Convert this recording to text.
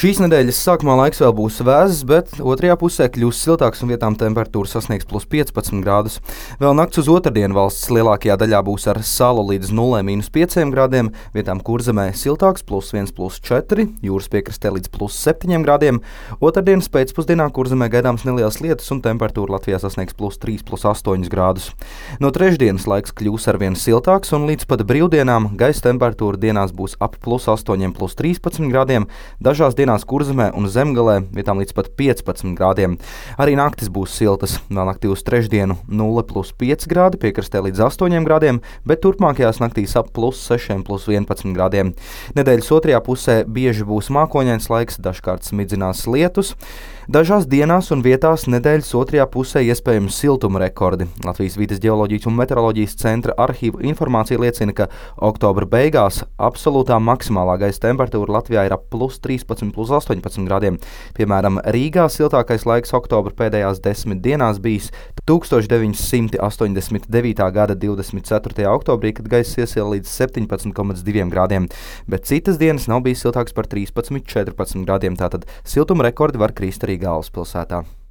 Šīs nedēļas sākumā laiks vēl būs vēss, bet otrajā pusē kļūs siltāks un vietām temperatūra sasniegs plus 15 grādus. Vēl nakts uz otrdienu valsts lielākajā daļā būs ar salu līdz 0–5 grādiem, vietām Kurzemē siltāks plus 1–4, jūras piekrastē līdz plus 7 grādiem. Otrdienas pēcpusdienā Kurzemē gaidāms nelielas lietus un temperatūra Latvijā sasniegs plus 3–8 grādus. No trešdienas laiks kļūs arvien siltāks un līdz pat brīvdienām gaisa temperatūra dienās būs ap plus 8–13 grādiem, dažās dienās Kurzemē un Zemgalē vietām līdz pat 15 grādiem. Arī naktis būs siltas, vēl naktī uz trešdienu 0–5 grādi, piekrastē līdz 8 grādiem, bet turpmākajās naktīs ap plus 6–11 grādiem. Nedēļas otrajā pusē bieži būs mākoņains laiks, dažkārt smidzinās lietus. Dažās dienās un vietās nedēļas otrajā pusē iespējams siltuma rekordi. Latvijas Vides ģeoloģijas un meteoroloģijas centra arhīvu informācija liecina, ka oktobra beigās absolūtā maksimālā gaisa temperatūra Latvijā ir ap plus 13–18 grādiem. Piemēram, Rīgā siltākais laiks oktobra pēdējās 10 dienās bijis 1989. gada 24. oktobrī, kad gaisa iesila līdz 17,2 grādiem, bet citas dienas nav bijis siltāks par 13–14 grādiem, tātad siltuma rekordi var krist arī galvaspilsētā.